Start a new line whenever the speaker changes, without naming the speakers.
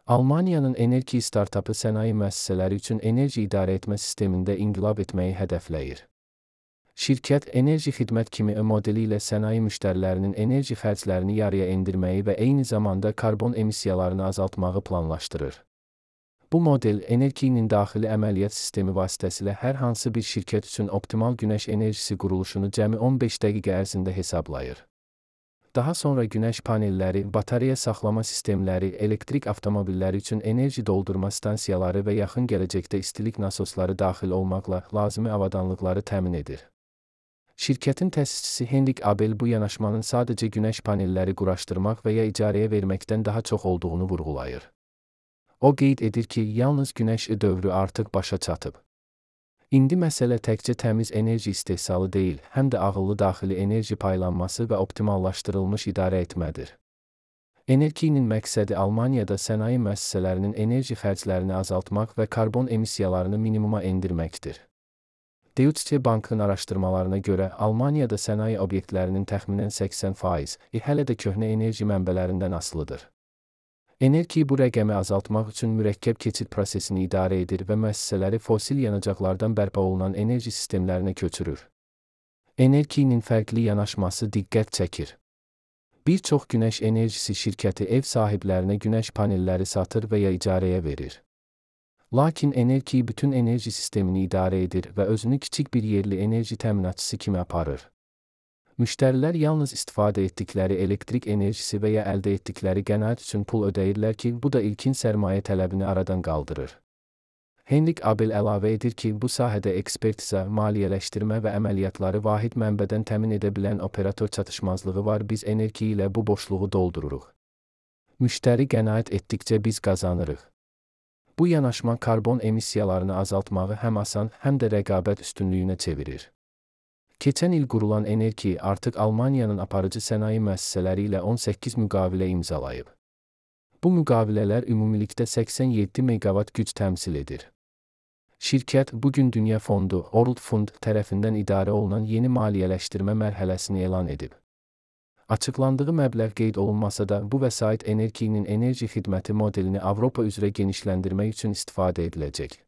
Almaniyanın enerji startapı sənaye müəssisələri üçün enerji idarə etmə sistemində inqilab etməyi hədəfləyir. Şirkət, enerji xidmət kimi modeli ilə sənaye müştərilərinin enerji xərclərini yarıya endirməyi və eyni zamanda karbon emissiyalarını azaltmağı planlaşdırır. Bu model, enerjinin daxili əməliyyat sistemi vasitəsilə hər hansı bir şirkət üçün optimal günəş enerjisi quruluşunu cəmi 15 dəqiqə ərzində hesablayır. Daha sonra günəş panelləri, batareya saxlama sistemləri, elektrik avtomobilləri üçün enerji doldurma stansiyaları və yaxın gələcəkdə istilik nasosları daxil olmaqla lazımi avadanlıqları təmin edir. Şirkətin təsisçisi Henrik Abel bu yanaşmanın sadəcə günəş panelləri quraşdırmaq və ya icarəyə verməkdən daha çox olduğunu vurğulayır. O qeyd edir ki, yalnız günəş dövrü artıq başa çatıb. İndi məsələ təkcə təmiz enerji istehsalı deyil, həm də ağıllı daxili enerji paylanması və optimallaşdırılmış idarə etmədir. Enerjinin məqsədi Almaniyada sənaye müəssisələrinin enerji xərclərini azaltmaq və karbon emissiyalarını minimuma endirməkdir. Deutsche Bank'ın araşdırmalarına görə Almaniyada sənaye obyektlərinin təxminən 80% hələ də köhnə enerji mənbələrindən asılıdır. Enerji bu rəqəmi azaltmaq üçün mürəkkəb keçid prosesini idarə edir və müəssisələri fosil yanacaqlardan bərpa olunan enerji sistemlərinə köçürür. Enerjinin fərqli yanaşması diqqət çəkir. Bir çox günəş enerjisi şirkəti ev sahiblərinə günəş panelləri satır və ya icarəyə verir. Lakin enerji bütün enerji sistemini idarə edir və özünü kiçik bir yerli enerji təminatçısı kimi aparır. Müştərilər yalnız istifadə etdikləri elektrik enerjisi və ya əldə etdikləri qənaət üçün pul ödəyirlər ki, bu da ilkin sərmayə tələbini aradan qaldırır. Henrik Abel əlavə edir ki, bu sahədə ekspertiza, maliyyələşdirmə və əməliyyatları vahid mənbədən təmin edə bilən operator çatışmazlığı var, biz enerji ilə bu boşluğu doldururuq. Müştəri qənaət etdikcə biz qazanırıq. Bu yanaşma karbon emissiyalarını azaltmağı həm asan, həm də rəqabət üstünlüyünə çevirir. Keçən il qurulan enerji artıq Almaniyanın aparıcı sənaye müəssisələri ilə 18 müqavilə imzalayıb. Bu müqavilələr ümumilikdə 87 meqavat güc təmsil edir. Şirkət bugün Dünya Fondu, World Fund tərəfindən idarə olunan yeni maliyyələşdirmə mərhələsini elan edib. Açıqlandığı məbləğ qeyd olunmasa da, bu vəsait enerjinin enerji xidməti modelini Avropa üzrə genişləndirmək üçün istifadə ediləcək.